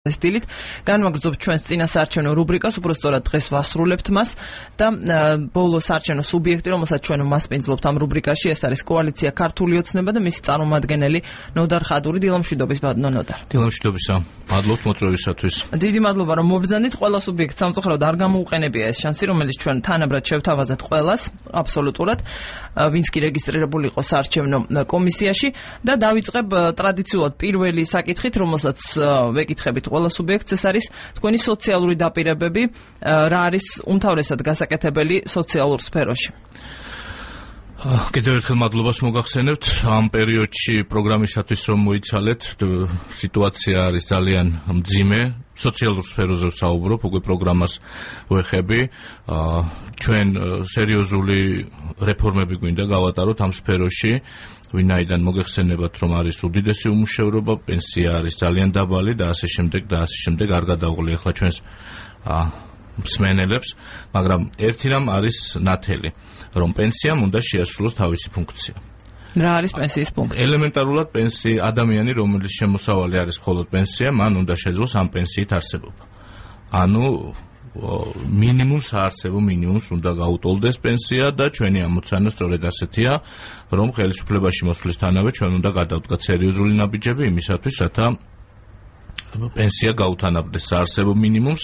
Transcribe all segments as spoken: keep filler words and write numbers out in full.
სტილით განვაგრძობთ ჩვენს წინა საარჩევნო რუბრიკას, უბრალოდ დღეს ვასრულებთ მას და ბოლო საარჩევნო სუბიექტი, რომელსაც ჩვენ მასპინძლობთ ამ რუბრიკაში, ეს არის კოალიცია ქართული ოცნება და მისი წარმომადგენელი ნოდარ ხადური. დილამშვიდობის ბატონო ნოდარ. დილამშვიდობისა. მადლობთ მოწვევისათვის. დიდი მადლობა რომ მობრძანით. ყველა სუბიექტს სამწუხაროდ არ გამოუყენებია ეს შანსი, რომელიც ჩვენ თანაბრად შევთავაზეთ ყველას, აბსოლუტურად, ვინც კი რეგისტრირებული იყო საარჩევნო კომისიაში და დავიწყებ ტრადიციულად პირველი საკითხით, რომელსაც ვეკითხებით ყველა სუბიექტს, ეს არის თქვენი სოციალური დაპირებები, რა არის უმთავრესად გასაკეთებელი სოციალურ სფეროში. კიდევ ერთხელ მადლობას მოგახსენებთ. ამ პერიოდში პროგრამისათვის რომ მოიცალეთ, სიტუაცია არის ძალიან მძიმე. სოციალურ სფეროზე ვსაუბრობ, უკვე პროგრამას ვეხები. ჩვენ სერიოზული რეფორმები გვინდა გავატაროთ ამ სფეროში. ვინაიდან მოგეხსენებათ, რომ არის უდიდესი უმუშევრობა, პენსია არის ძალიან დაბალი და ასე შემდეგ და ასე შემდეგ. არ გადავღლი ახლა ჩვენს მსმენელებს, მაგრამ ერთი რამ არის ნათელი, რომ პენსიამ უნდა შეასრულოს თავისი ფუნქცია. რა არის პენსიის ფუნქცია? ელემენტარულად პენსია, ადამიანი, რომელიც შემოსავალი არის მხოლოდ პენსია, მან უნდა შეძლოს ამ პენსიით არსებობა. ანუ მინიმუმ საარსებო მინიმუმს უნდა გაუტოლდეს პენსია და ჩვენი ამოცანა სწორედ ასეთია, რომ ხელისუფლებაში მოსვლისთანავე ჩვენ უნდა გადავდგათ სერიოზული ნაბიჯები იმისათვის, რათა პენსია გაუთანაბრდეს საარსებო მინიმუმს,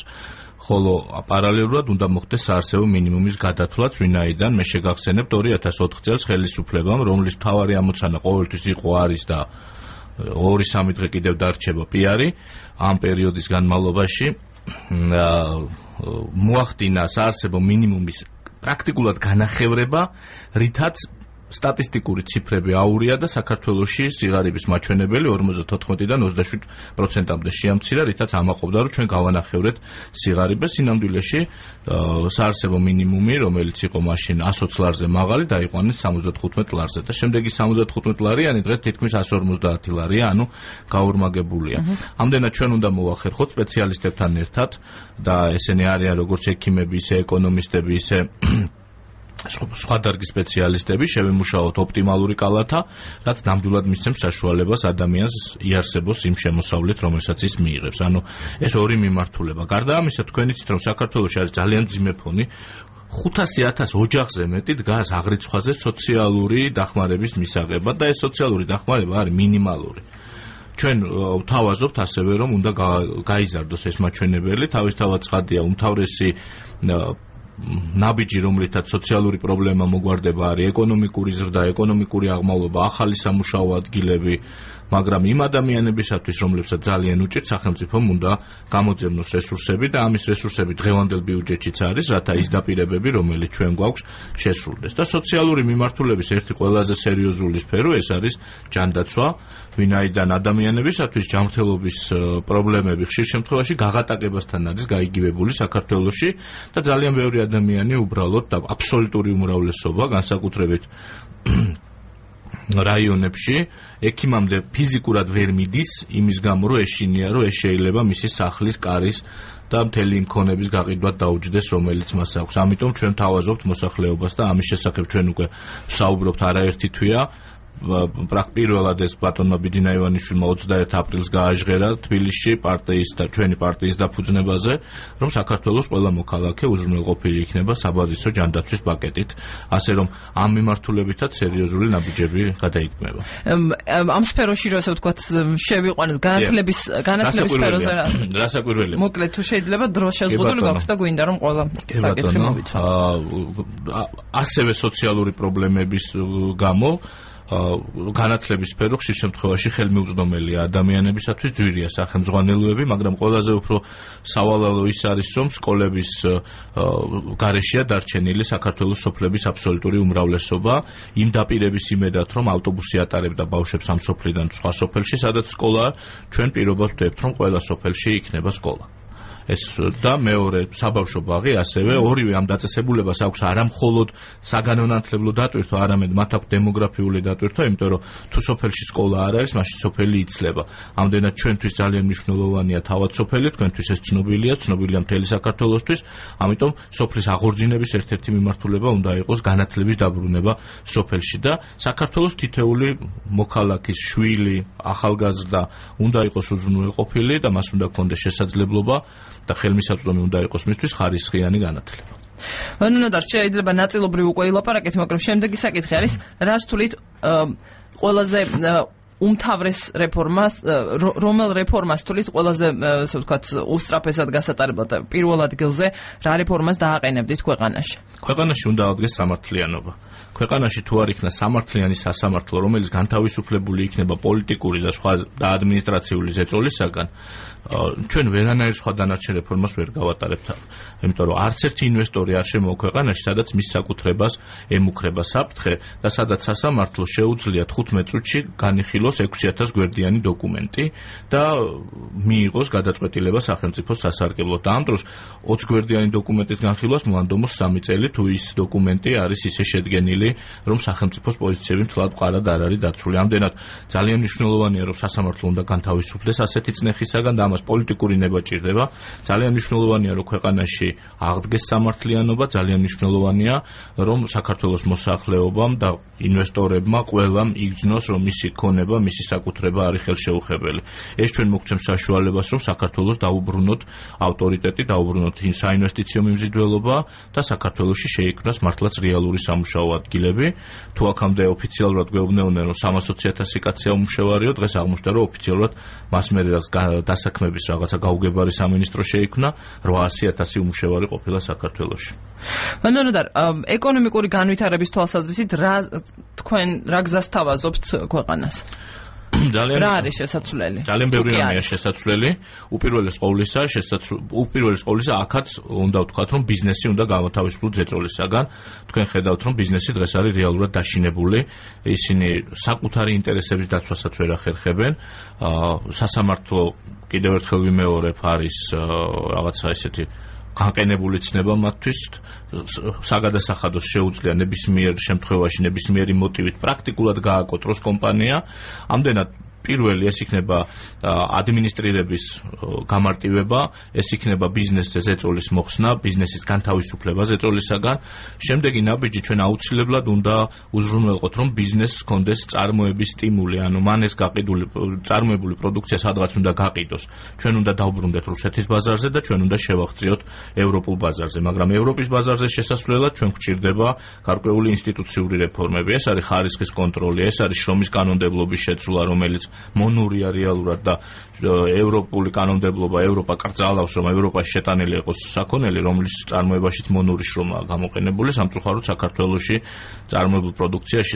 ხოლო პარალელურად უნდა მოხდეს საარსებო მინიმუმის გადათვლაც, ვინაიდან მე შეგახსენებთ ორი ათას ოთხ წელს ხელისუფლებამ, რომლის მთავარი ამოცანა ყოველთვის იყო არის და ორი სამი დღე კიდევ დარჩება პიარი, ამ პერიოდის განმავლობაში მოახდინა საარსებო მინიმუმის პრაქტიკულად განახევრება, რითაც სტატისტიკური ციფრები აურია და საქართველოში სიღარიბის მაჩვენებელი ორმოცდათოთხმეტიდან ოცდაშვიდ პროცენტამდე შეამცირა, რითაც ამაყობდა, რომ ჩვენ გავანახევრეთ სიღარიბეს. სინამდვილეში საარსებო მინიმუმი, რომელიც იყო მაშინ ასოც ლარზე მაღალი, დაიყვანეს სამოცდათხუთმეტ ლარზე და შემდეგი სამოცდათხუთმეტ ლარიანი დღეს თითქმის ასი ორმოცდაათი ლარია, ანუ გაურმაგებულია. ამდენად ჩვენ უნდა მოვახერხოთ სპეციალისტებთან ერთად და ესენი არიან როგორც ექიმები, ისე ეკონომისტები, ისე სხვა დარგის სპეციალისტები, შევიმუშაოთ ოპტიმალური კალათა, რაც ნამდვილად მისცემს საშუალებას ადამიანს იარსებოს იმ შემოსავლით, რომელსაც ის მიიღებს. ანუ ეს ორი მიმართულება. გარდა ამისა, თქვენ იცით, რომ საქართველოში არის ძალიან მძიმე ფონი, ხუთასი ათას ოჯახზე მეტი დგას აღრიცხვაზე სოციალური დახმარების მისაღებად და ეს სოციალური დახმარება არის მინიმალური. ჩვენ ვთავაზობთ ასევე, რომ უნდა გაიზარდოს ეს მაჩვენებელი, თავისთავად ცხადია, უმთავრესი ნაბიჯი, რომლითაც სოციალური პრობლემა მოგვარდება, არის ეკონომიკური ზრდა, ეკონომიკური აღმავლობა, ახალი სამუშაო ადგილები, მაგრამ იმ ადამიანებისათვის, რომლებსაც ძალიან უჭირთ, სახელმწიფომ უნდა გამოძებნოს რესურსები და ამის რესურსები დღევანდელ ბიუჯეტშიც არის, რათა ის დაპირებები, რომელიც ჩვენ გვაქვს, შესრულდეს. და სოციალური მიმართულების ერთი ყველაზე სერიოზული სფერო ეს არის ჯანდაცვა, ვინაიდან ადამიანებისათვის ჯანმრთელობის პრობლემები ხშირ შემთხვევაში გაღატაკებასთან არის გაიგივებული საქართველოში და ძალიან ბევრი ადამიანი უბრალოდ და აბსოლუტური უმრავლესობა, განსაკუთრებით რაიონებში ექიმამდე ფიზიკურად ვერ მიდის, იმის გამო, რომ ეშინია, რომ ეს შეიძლება მისი სახლის, კარის და მთელი იმ ქონების გაყიდვად დაუჯდეს, რომელიც მას აქვს. ამიტომ ჩვენ თავაზობთ მოსახლეობას და ამის შესახებ ჩვენ უკვე ვსაუბრობთ არაერთი თვეა. პირველად ეს ბატონმა ბიძინა ივანიშვილმა ოცდაერთი აპრილს გააჟღერა თბილისში პარტიის და ჩვენი პარტიის დაფუძნებაზე, რომ საქართველოს ყველა მოქალაქე უზრუნველყოფილი იქნება საბაზისო ჯანდაცვის პაკეტით, ასე რომ ამ მიმართულებითაც სერიოზული ნაბიჯები გადაიქმნება. ამ სფეროში, ასე ვთქვათ, შევიყვანოთ განათლების განათლების სფეროზე. რასაკვირველია. მოკლედ თუ შეიძლება დრო შეზღუდული გაქვს და გვინდა რომ ყველა საკითხი მოვიცავ. ასევე სოციალური პრობლემების გამო განათლების სფერო ხშირ შემთხვევაში ხელმიუწვდომელია ადამიანებისათვის, ძვირია სახელმძღვანელოები, მაგრამ ყველაზე უფრო სავალალო ის არის, რომ სკოლების გარეშეა დარჩენილი საქართველოს სოფლების აბსოლუტური უმრავლესობა, იმ დაპირების იმედად, რომ ავტობუსი ატარებდა ბავშვებს ამ სოფლიდან სხვა სოფელში, სადაც სკოლა, ჩვენ პირობას ვდებთ, რომ ყველა სოფელში იქნება სკოლა. ეს და მეორე საბავშვო ბაღი ასევე ორივე ამ დაწესებულებას აქვს არა მხოლოდ საგანმანათლებლო დატვირთვა, არამედ მათ აქვს დემოგრაფიული დატვირთვა, იმიტომ რომ თუ სოფელში სკოლა არ არის, მაშინ სოფელი იცლება. ამდენად ჩვენთვის ძალიან მნიშვნელოვანია თავად სოფელი, თქვენთვის ეს ცნობილია, ცნობილია მთელი საქართველოსთვის, ამიტომ სოფლის აღორძინების ერთ-ერთი მიმართულება უნდა იყოს განათლების დაბრუნება სოფელში და საქართველოს თითეული მოქალაქის შვილი, ახალგაზრდა უნდა იყოს უზრუნველყოფილი და მას უნდა ქონდეს შესაძლებლობა და ხელმისაწვდომი უნდა იყოს მისთვის ხარისხიანი განათლება. ნუნოდარ, შეიძლება ნაწილობრივ უკვე ილაპარაკეთ, მაგრამ შემდეგი საკითხი არის, რას თulit ყველაზე უმთავრეს რეფორმას, რომელ რეფორმას თulit ყველაზე, ასე ვთქვათ, უსწრაფესად გასატარებლად პირველ ადგილზე რა რეფორმას დააყენებდით ქვეყანაში? ქვეყანაში უნდა აღდგეს სამართლიანობა. ქვეყანაში თუ არ იქნა სამართლიანი სასამართლო, რომელიც განთავისუფლებული იქნება პოლიტიკური და სხვა და ადმინისტრაციული ზეწოლისაგან, ჩვენ ვერანაირ სხვა დანარჩენ რეფორმას ვერ გავატარებთ. იმიტომ რომ არც ერთი ინვესტორი არ შემოვა ქვეყანაში, სადაც მის საკუთრებას ემუქრება საფრთხე და სადაც სასამართლო შეუძლია თხუთმეტ წუთში განიხილოს ექვსი ათას გვერდიანი დოკუმენტი და მიიღოს გადაწყვეტილება სახელმწიფოს სასარგებლოდ. და ამ დროს ოცი გვერდიანი დოკუმენტის განხილვას მოანდომოს სამი წელი, თუ ის დოკუმენტი არის ისე შედგენილი, რომ სახელმწიფოს პოზიციები მთლად მყარად არ არის დაცული. ამდენად ძალიან მნიშვნელოვანია, რომ სასამართლო უნდა განთავისუფლდეს ასეთი წნეხისაგან და ამას პოლიტიკური ნება ჭირდება. ძალიან მნიშვნელოვანია, რომ ქვეყანაში აღდგეს სამართლიანობა, ძალიან მნიშვნელოვანია, რომ საქართველოს მოსახლეობამ და ინვესტორებმა ყველამ იგრძნოს, რომ მისი ქონება, მისი საკუთრება არის ხელშეუხებელი. ეს ჩვენ მოგცემს საშუალებას, რომ საქართველოს დაუბრუნოთ ავტორიტეტი, დაუბრუნოთ საინვესტიციო მიმზიდველობა და საქართველოში შეიქმნას მართლაც რეალური სამუშაო ადგილები. თუ აქამდე ოფიციალურად გვეუბნეოდნენ, რომ სამას ოცი ათასი კაცია უმუშევარიო, დღეს აღმოჩნდა, რომ ოფიციალურად მას მერე რაც დასაქმების რაღაცა გაუგებარი სამინისტრო შეიქმნა, რვაასი ათასი უმუშევარი ყოფილა საქართველოში. ნუნოდარ, ეკონომიკური განვითარების თვალსაზრისით რა თქვენ რა გზას თავაზობთ ქვეყანას? ძალიან რა არის შესაძლებელი? ძალიან ბევრი რამეა შესაძლებელი. უპირველეს ყოვლისა, უპირველეს ყოვლისა, აქაც უნდა ვთქვათ, რომ ბიზნესი უნდა გავათავისუფლოთ ზეწოლისაგან. თქვენ ხედავთ, რომ ბიზნესი დღეს არის რეალურად დაშინებული. ისინი საკუთარი ინტერესების დაცვასაც ვერ ახერხებენ. სასამართლო კიდევ ერთხელ ვიმეორებ, არის რაღაცა ესეთი განყენებული ცნება მათთვის, საგადასახადოს შეუძლია ნებისმიერ შემთხვევაში, ნებისმიერი მოტივით პრაქტიკულად გააკოტროს კომპანია. ამდენად პირველი ეს იქნება ადმინისტრირების გამარტივება, ეს იქნება ბიზნესზე ზეწოლის მოხსნა, ბიზნესის განთავისუფლება ზეწოლისაგან. შემდეგი ნაბიჯი ჩვენ აუცილებლად უნდა უზრუნველყოთ, რომ ბიზნესს ჰქონდეს წარმოების სტიმული, ანუ მან ეს გაყიდული წარმოებული პროდუქცია სადღაც უნდა გაყიდოს. ჩვენ უნდა დავბრუნდეთ რუსეთის ბაზარზე და ჩვენ უნდა შევაღწიოთ ევროპულ ბაზარზე, მაგრამ ევროპის ბაზარზე შესასვლელად ჩვენ გვჭირდება გარკვეული ინსტიტუციური რეფორმები. ეს არის ხარისხის კონტროლი, ეს არის შრომის კანონმდებლობის შეცვლა, რომელიც მონურია რეალურად და ევროპული კანონმდებლობა ევროპა კრძალავს, რომ ევროპაში შეტანილი იყოს საქონელი, რომლის წარმოებაშიც მონური შრომაა გამოყენებული. სამწუხაროდ საქართველოში წარმოებულ პროდუქციაში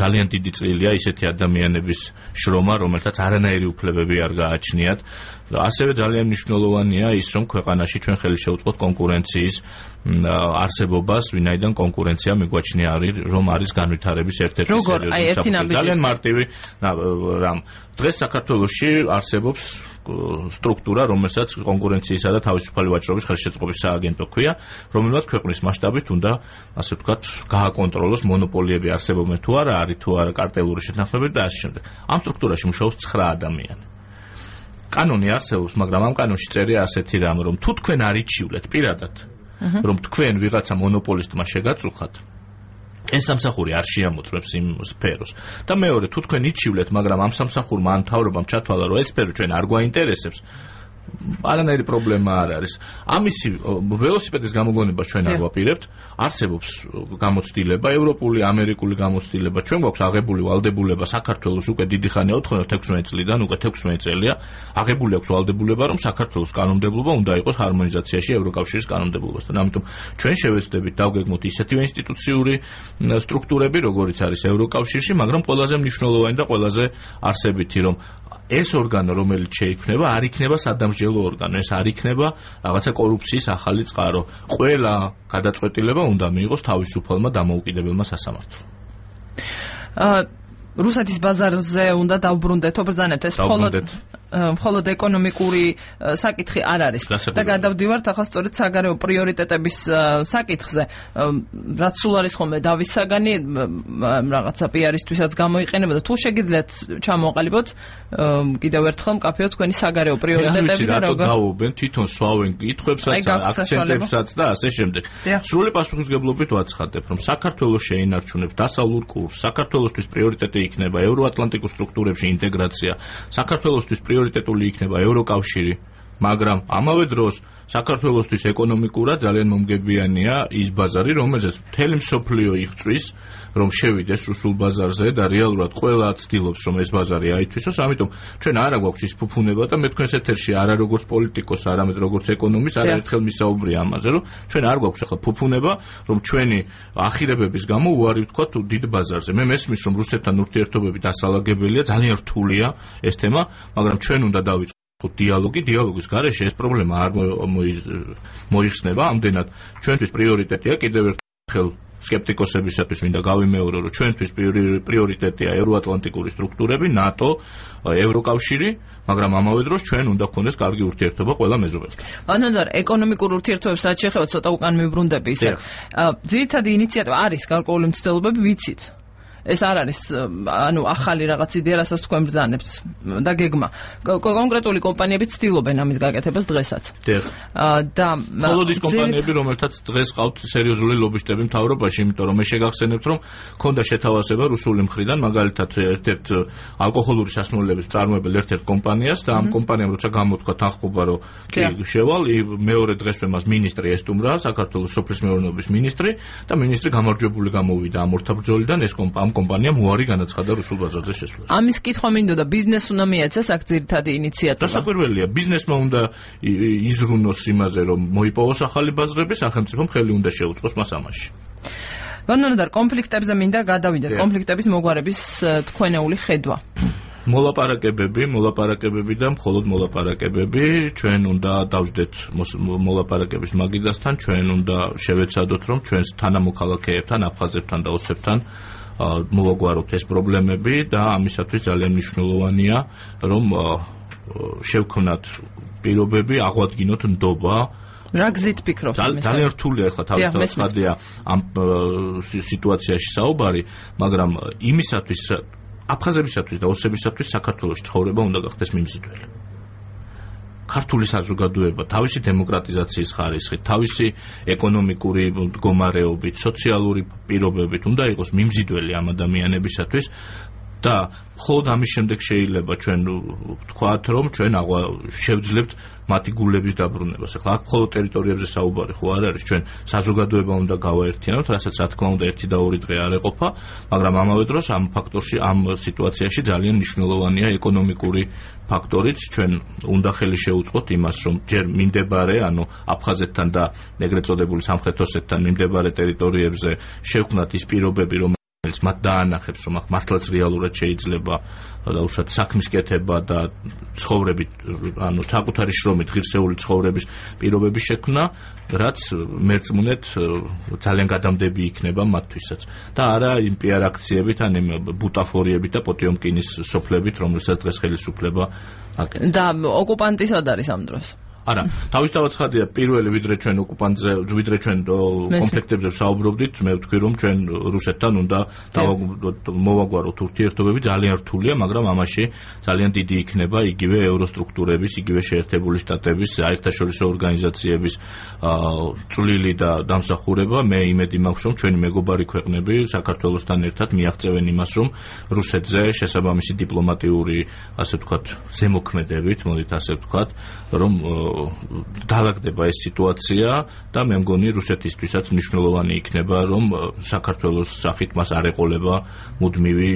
ძალიან დიდი წვლილია ისეთი ადამიანების შრომა, რომელთაც არანაირი უფლებები არ გააჩნიათ. ასევე ძალიან მნიშვნელოვანია ის, რომ ქვეყანაში ჩვენ ხელი შევუწყოთ კონკურენციის არსებობას, ვინაიდან კონკურენცია მიგვაჩნია არის, რომ არის განვითარების ერთ-ერთი სერიოზული ძალიან მარტივი რამ. დღეს საქართველოში არსებობს სტრუქტურა, რომელსაც კონკურენციისა და თავისუფალი ვაჭრობის ხელშეწყობის სააგენტო ქვია, რომელმაც ქვეყნის მასშტაბით უნდა, ასე ვთქვათ, გააკონტროლოს მონოპოლიები არსებობენ თუ არა, არის თუ არა კარტელური შეთანხმებები და ასე შემდეგ. ამ სტრუქტურაში მუშაობს ცხრა ადამიანი. კანონი არსებობს, მაგრამ ამ კანონში წერია ასეთი რამ, რომ თუ თქვენ არ იჩივლეთ პირადად, რომ თქვენ ვიღაცა მონოპოლისტმა შეგაწუხათ, ეს სამსახური არ შეამოწმებს იმ სფეროს. და მეორე, თუ თქვენ იჩივლეთ, მაგრამ ამ სამსახურმა ან მთავრობამ ჩათვალა, რომ ეს სფერო ჩვენ არ გვაინტერესებს, არანაირი პრობლემა არ არის. ამისი ველოსიპედის გამოგონებას ჩვენ არ ვაპირებთ. არსებობს გამოცდილება, ევროპული, ამერიკული გამოცდილება. ჩვენ გვაქვს აღებული ვალდებულება საქართველოს უკვე დიდი ხანია, ოთხმოცდათხმეტ წლიდან, უკვე ექვსმეტ წელია, აღებული აქვს ვალდებულება, რომ საქართველოს კანონმდებლობა უნდა იყოს ჰარმონიზაციაში ევროკავშირის კანონმდებლობასთან. ამიტომ ჩვენ შევეცდებით დავგეგმოთ ისეთივე ინსტიტუციური სტრუქტურები, როგორიც არის ევროკავშირში, მაგრამ ყველაზე მნიშვნელოვანი და ყველაზე არსებითი, რომ ეს ორგანო, რომელიც შეიქმნება, არ იქნება სადამსჯელო ორგანო, ეს არ იქნება რაღაცა კორუფციის ახალი წყარო. ყველა გადაწყვეტილება უნდა მიიღოს თავისუფალმა დამოუკიდებელმა სასამართლომ. რუსეთის ბაზარზე უნდა დავბრუნდეთ, ობრძანებთ ეს მხოლოდ მხოლოდ ეკონომიკური საკითხი არ არის და გადავდივართ ახლა სწორედ საგარეო პრიორიტეტების საკითხზე, რაც სულ არის ხოლმე დავის საგანი რაღაცა პიარისთვისაც გამოიყენება და თუ შეგიძლიათ ჩამოყალიბოთ კიდევ ერთხელ მკაფიო თქვენი საგარეო პრიორიტეტები და როგორ დაუბენ თვითონ სვავენ კითხვებსაც, აქცენტებსაც და ასე შემდეგ. სრული პასუხისმგებლობით ვაცხადებ, რომ საქართველოს შეინარჩუნებს დასავლურ კურსს, საქართველოსთვის პრიორიტეტი იქნება ევროატლანტიკურ სტრუქტურებში ინტეგრაცია, საქართველოსთვის პრიორიტეტული იქნება ევროკავშირი, მაგრამ ამავე დროს საქართველოსთვის ეკონომიკურად ძალიან მომგებიანია ის ბაზარი, რომელზეც მთელი მსოფლიო იღწვის, რომ შევიდეს რუსულ ბაზარზე და რეალურად ყველა ცდილობს, რომ ეს ბაზარი აითვისოს, ამიტომ ჩვენ არა გვაქვს ის ფუფუნება და მე თქვენს ეთერში არა როგორც პოლიტიკოს, არამედ როგორც ეკონომის არაერთხელ მისაუბრია ამაზე, რომ ჩვენ არ გვაქვს ახლა ფუფუნება, რომ ჩვენი ახირებების გამო უარი ვთქვათ დიდ ბაზარზე. მე მესმის, რომ რუსეთთან ურთიერთობები დასალაგებელია, ძალიან რთულია ეს თემა, მაგრამ ჩვენ უნდა დავიწყოთ დიალოგი, დიალოგის გარეშე ეს პრობლემა არ მოიხსნება, ამდენად ჩვენთვის პრიორიტეტია კიდევ ერთხელ სკეპტიკოსებისათვის მინდა გავიმეორო, რომ ჩვენთვის პრიორიტეტია ევროატლანტიკური სტრუქტურები, ნატო, ევროკავშირი, მაგრამ ამავე დროს ჩვენ უნდა გქონდეს კარგი ურთიერთობა ყველა მეზობელთან. ანანდარ, ეკონომიკურ ურთიერთობებს რაც შეეხება ცოტა უკან მივბრუნდები ისე. ძირითადი ინიციატივა არის გარკვეული მცდელობები, ვიცით. ეს არ არის ანუ ახალი რაღაც იდეა, რასაც თქვენ ბრძანებთ და გეგმა. კონკრეტული კომპანიები ცდილობენ ამის გაკეთებას დღესაც. და მხოლოდ ის კომპანიები, რომელთაც დღეს ყავთ სერიოზული ლობისტები მთავრობაში, იმიტომ რომ მე შეგახსენებთ, რომ ქონდა შეთავაზება რუსული მხრიდან, მაგალითად ერთ-ერთ ალკოჰოლური სასმელების მწარმოებელ ერთ-ერთ კომპანიას და ამ კომპანიამ როცა გამოთქვა თანხმობა, რომ კი შევალ, მეორე დღესვე მას მინისტრი ესტუმრა, საქართველოს სოფლის მეურნეობის მინისტრი და მინისტრი გამარჯვებული გამოვიდა ამ ორთაბრძოლიდან, ეს კომპანია კომპანიამ უარი განაცხადა რუსულ ბაზარზე შესვლას. ამის კითხვა მინდოდა, ბიზნესს უნდა მიეცეს აქ ძირითადი ინიციატივა. დასაკვირველია, ბიზნესმა უნდა იზრუნოს იმაზე, რომ მოიპოვოს ახალი ბაზრები, სახელმწიფომ ხელი უნდა შეუწყოს მას ამაში. ვანონდარ, კონფლიქტებზე მინდა გადავიდეთ, კონფლიქტების მოგვარების თქვენეული ხედვა. მოლაპარაკებები, მოლაპარაკებები და მხოლოდ მოლაპარაკებები, ჩვენ უნდა დავждეთ მოლაპარაკების მაგიდასთან, ჩვენ უნდა შევეცადოთ, რომ ჩვენს თანამოქალაქეებთან, აფხაზებთან და ოსებთან მოვაგვაროთ ეს პრობლემები და ამისათვის ძალიან მნიშვნელოვანია, რომ შევქმნათ პირობები, აღვადგინოთ ნდობა. რა გზით ფიქრობთ? ძალიან რთულია ახლა თავის ხადია ამ სიტუაციაში საუბარი, მაგრამ იმისათვის აფხაზებისათვის და ოსებისათვის საქართველოს ცხოვრება უნდა გახდეს მიმზიდველი. ქართული საზოგადოება თავისი დემოკრატიზაციის ხარისხით, თავისი ეკონომიკური მდგომარეობით, სოციალური პირობებით უნდა იყოს მიმზიდველი ამ ადამიანებისათვის და მხოლოდ ამის შემდეგ შეიძლება ჩვენ ვთქვათ, რომ ჩვენ შევძლებთ მათი გულების დაბრუნებას. ახლა აქ მხოლოდ ტერიტორიებზე საუბარი ხო არ არის, ჩვენ საზოგადოება უნდა გავაერთიანოთ, რასაც რა თქმა უნდა ერთი და ორი დღე არ ეყოფა, მაგრამ ამავე დროს ამ ფაქტორში, ამ სიტუაციაში ძალიან მნიშვნელოვანია ეკონომიკური ფაქტორიც, ჩვენ უნდა ხელი შევუწყოთ იმას, რომ ჯერ მიმდებარე, ანუ აფხაზეთთან და ეგრეთ წოდებული სამხრეთ ოსეთთან მიმდებარე ტერიტორიებზე შევქმნათ ის პირობები, რომ მათ დაანახებს, რომ აქ მართლაც რეალურად შეიძლება დაუშვათ საქმის კეთება და ცხოვრებით, ანუ საკუთარი შრომით ღირსეული ცხოვრების პირობების შექმნა, რაც მერწმუნეთ ძალიან გადამდები იქნება მათთვისაც. და არა იმ პიარ აქციებით, ან იმ ბუტაფორიებით და პოტიომკინის სოფლებით, რომელსაც დღეს ხელისუფლება აკეთებს. და ოკუპანტი სად არის ამ დროს? არა, თავისთავად ხადია პირველი ვიდრე ჩვენ ოკუპანტზე, ვიდრე ჩვენ კონფლიქტებზე ვსაუბრობდით, მე ვთქვი რომ ჩვენ რუსეთთან უნდა მოვაგვაროთ ურთიერთობები, ძალიან რთულია, მაგრამ ამაში ძალიან დიდი იქნება იგივე ევროსტრუქტურების, იგივე შეერთებული შტატების, საერთაშორისო ორგანიზაციების წვლილი და დამსახურება. მე იმედი მაქვს, რომ ჩვენი მეგობარი ქვეყნები საქართველოსთან ერთად მიაღწევენ იმას, რომ რუსეთზე შესაბამისი დიპლომატიური, ასე ვთქვათ, ზემოქმედებით, მოდით ასე ვთქვათ, რომ დაალაგდება ეს სიტუაცია და მე მგონი რუსეთისთვისაც მნიშვნელოვანი იქნება, რომ საქართველოს სახით მას არ ეყოლება მუდმივი,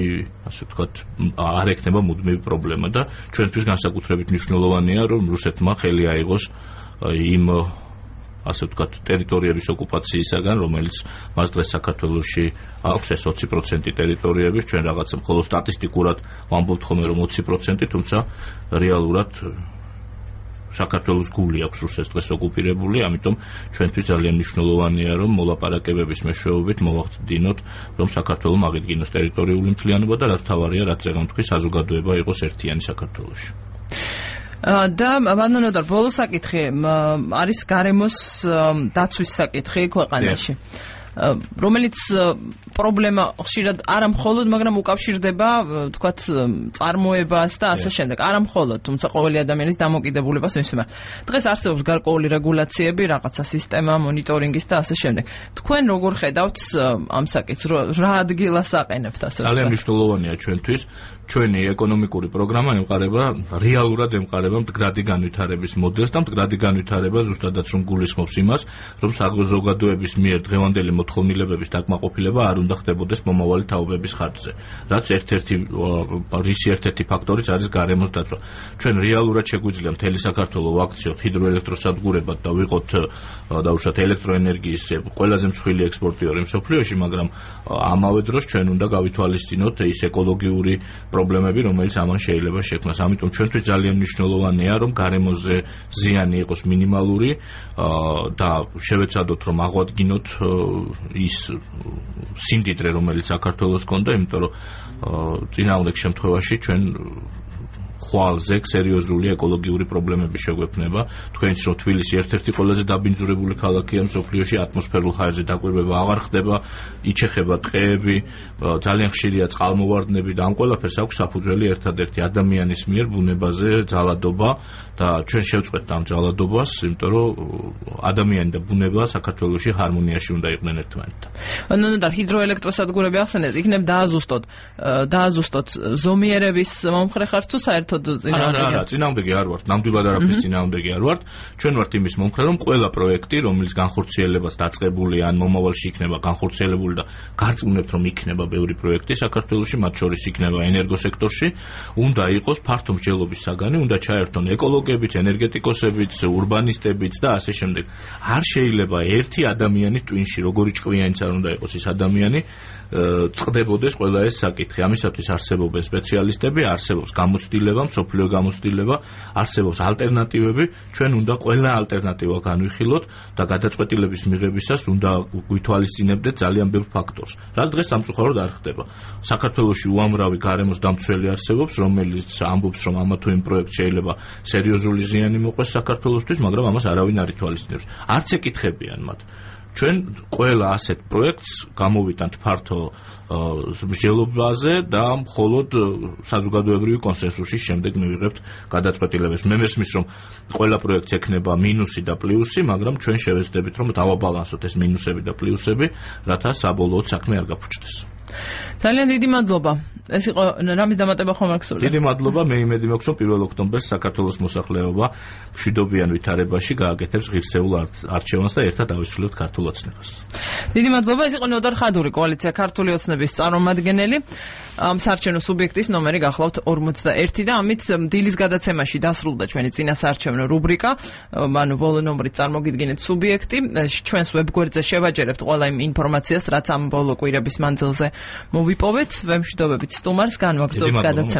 ასე ვთქვათ, არ ექნება მუდმივი პრობლემა და ჩვენთვის განსაკუთრებით მნიშვნელოვანია, რომ რუსეთმა ხელი აიღოს იმ ასე ვთქვათ, ტერიტორიების ოკუპაციისაგან, რომელიც მას დღეს საქართველოში აქვს, ეს ოცი პროცენტი ტერიტორიების, ჩვენ რაღაცა მხოლოდ სტატისტიკურად ვამბობთ ხოლმე, რომ ოცი პროცენტი, თუმცა რეალურად საქართველოს გული აქვს რუსეთს დღეს ოკუპირებული, ამიტომ ჩვენთვის ძალიან მნიშვნელოვანია, რომ მოლაპარაკებების მეშვეობით მოვახდინოთ, რომ საქართველოს აღიდგინოს ტერიტორიული მთლიანობა და რაც თავარია, რაც წეგან თქვი, საზოგადოება იყოს ერთიანი საქართველოში. და ბანანოდარ ბოლო საკითხი არის გარემოს დაცვის საკითხი ქვეყანაში. რომელიც პრობლემა ხშირად არა მხოლოდ, მაგრამ უკავშირდება, თქვათ, წარმოებას და ასე შემდეგ. არა მხოლოდ, თუმცა ყოველი ადამიანის დამოკიდებულებას მისმენთ. დღეს არსებობს გარკვეული რეგულაციები, რაღაცა სისტემა მონიტორინგის და ასე შემდეგ. თქვენ როგორ ხედავთ ამ საკითხს, რა ადგილას აყენებთ ასე? ძალიან მნიშვნელოვანია ჩვენთვის. ჩვენი ეკონომიკური პროგრამა ემყარება, რეალურად ემყარება მდგრადი განვითარების მოდელს და მდგრადი განვითარება ზუსტადაც რომ გულისხმობს იმას, რომ საზოგადოების მიერ დღევანდელი მოთხოვნილებების დაკმაყოფილება არ უნდა ხდებოდეს მომავალი თაობების ხარჯზე. რაც ერთ-ერთი რისი ერთ-ერთი ფაქტორიც არის გარემოს დაცვა. ჩვენ რეალურად შეგვიძლია მთელი საქართველო ვაქციოთ ჰიდროელექტროსადგურებად და ვიყოთ დაუშვათ ელექტროენერგიის ყველაზე მსხვილი ექსპორტიორი მსოფლიოში, მაგრამ ამავე დროს ჩვენ უნდა გავითვალისწინოთ ის ეკოლოგიური პრობლემები, რომელიც ამან შეიძლება შექმნას. ამიტომ ჩვენთვის ძალიან მნიშვნელოვანია, რომ გარემოზე ზიანი იყოს მინიმალური და შევეცადოთ, რომ აღვადგინოთ ის სიმდიდრე, რომელიც საქართველოს ჰქონდა, იმიტომ რომ წინააღმდეგ შემთხვევაში ჩვენ ხვალზე სერიოზული ეკოლოგიური პრობლემები შეგვექმნება. თქვენიც რომ თბილისი ერთ-ერთი ყველაზე დაბინძურებული ქალაქია მსოფლიოში, ატმოსფერულ ჰაერზე დაკვირვება აღარ ხდება, იჩეხება ტყეები, ძალიან ხშირია წყალმოვარდნები და ამ ყველაფერს აქვს საფუძველი ერთადერთი ადამიანის მიერ ბუნებაზე ძალადობა და ჩვენ შევწყვეტთ ამ ძალადობას, იმიტომ რომ ადამიანი და ბუნება საქართველოში ჰარმონიაში უნდა იყვნენ ერთმანეთთან. ნუ და ჰიდროელექტროსადგურები ახსენეთ, იქნებ დააზუსტოთ, დააზუსტოთ ზომიერების მომხრე ხართ თუ საერთოდ არა, არა, წინააღმდეგი არ ვართ, ნამდვილად არაფრის წინააღმდეგი არ ვართ. ჩვენ ვართ იმის მომხრე, რომ ყველა პროექტი, რომელიც განხორციელებას დაწყებული ან მომავალში იქნება განხორციელებული და გარწმუნებთ, რომ იქნება ბევრი პროექტი საქართველოში, მათ შორის იქნება ენერგოსექტორში, უნდა იყოს ფართო მსჯელობის საგანი, უნდა ჩაერთონ ეკოლოგებიც, ენერგეტიკოსებიც, ურბანისტებიც და ასე შემდეგ. არ შეიძლება ერთი ადამიანის ტვინში, როგორი ჭკვიანიც არ უნდა იყოს ის ადამიანი, წყდებოდეს ყველა ეს საკითხი. ამისათვის არსებობენ სპეციალისტები, არსებობს გამოცდილება, მსოფლიო გამოცდილება, არსებობს ალტერნატივები, ჩვენ უნდა ყველა ალტერნატივა განვიხილოთ და გადაწყვეტილების მიღებისას უნდა გვითვალისწინებდეთ ძალიან ბევრ ფაქტორს. რაც დღეს სამწუხაროდ არ ხდება. საქართველოში უამრავი გარემოს დამცველი არსებობს, რომელიც ამბობს, რომ ამა თუ იმ პროექტს შეიძლება სერიოზული ზიანი მოყვეს საქართველოსთვის, მაგრამ ამას არავინ არ ითვალისწინებს. არც ეკითხებიან მათ. ჩვენ ყველა ასეთ პროექტს გამოვიტანთ ფართო მსჯელობაზე და მხოლოდ საზოგადოებრივი კონსენსუსის შემდეგ მივიღებთ გადაწყვეტილებას. მე მესმის, რომ ყველა პროექტს ექნება მინუსი და პლუსი, მაგრამ ჩვენ შევეცდებით, რომ დავაბალანსოთ ეს მინუსები და პლუსები, რათა საბოლოოდ საქმე არ გაფუჭდეს. ძალიან დიდი მადლობა. ეს იყო რამის დამატება ხომ აქვს? დიდი მადლობა, მე იმედი მაქვს, რომ პირველ ოქტომბერს საქართველოს მოსახლეობა მშვიდობიან ვითარებაში გააკეთებს ღირსეულ არჩევანს და ერთად ავისრულებთ ქართულ ოცნებას. დიდი მადლობა, ეს იყო ნოდარ ხადური, კოალიცია ქართული ოცნების წარმომადგენელი. ამ საარჩევნო სუბიექტის ნომერი გახლავთ ორმოცდაერთი და ამით დილის გადაცემაში დასრულდა ჩვენი წინასაარჩევნო რუბრიკა. ანუ ბოლო ნომრით წარმოგიდგინეთ სუბიექტი. ჩვენს ვებგვერდზე შევაჯერებთ ყველა იმ ინფორმაციას, რაც ამ ბოლო კვირების მანძილზე მოვიპოვეთ. ვემშვიდობებით სტუმარს, განვაგრძობთ გადაცემა.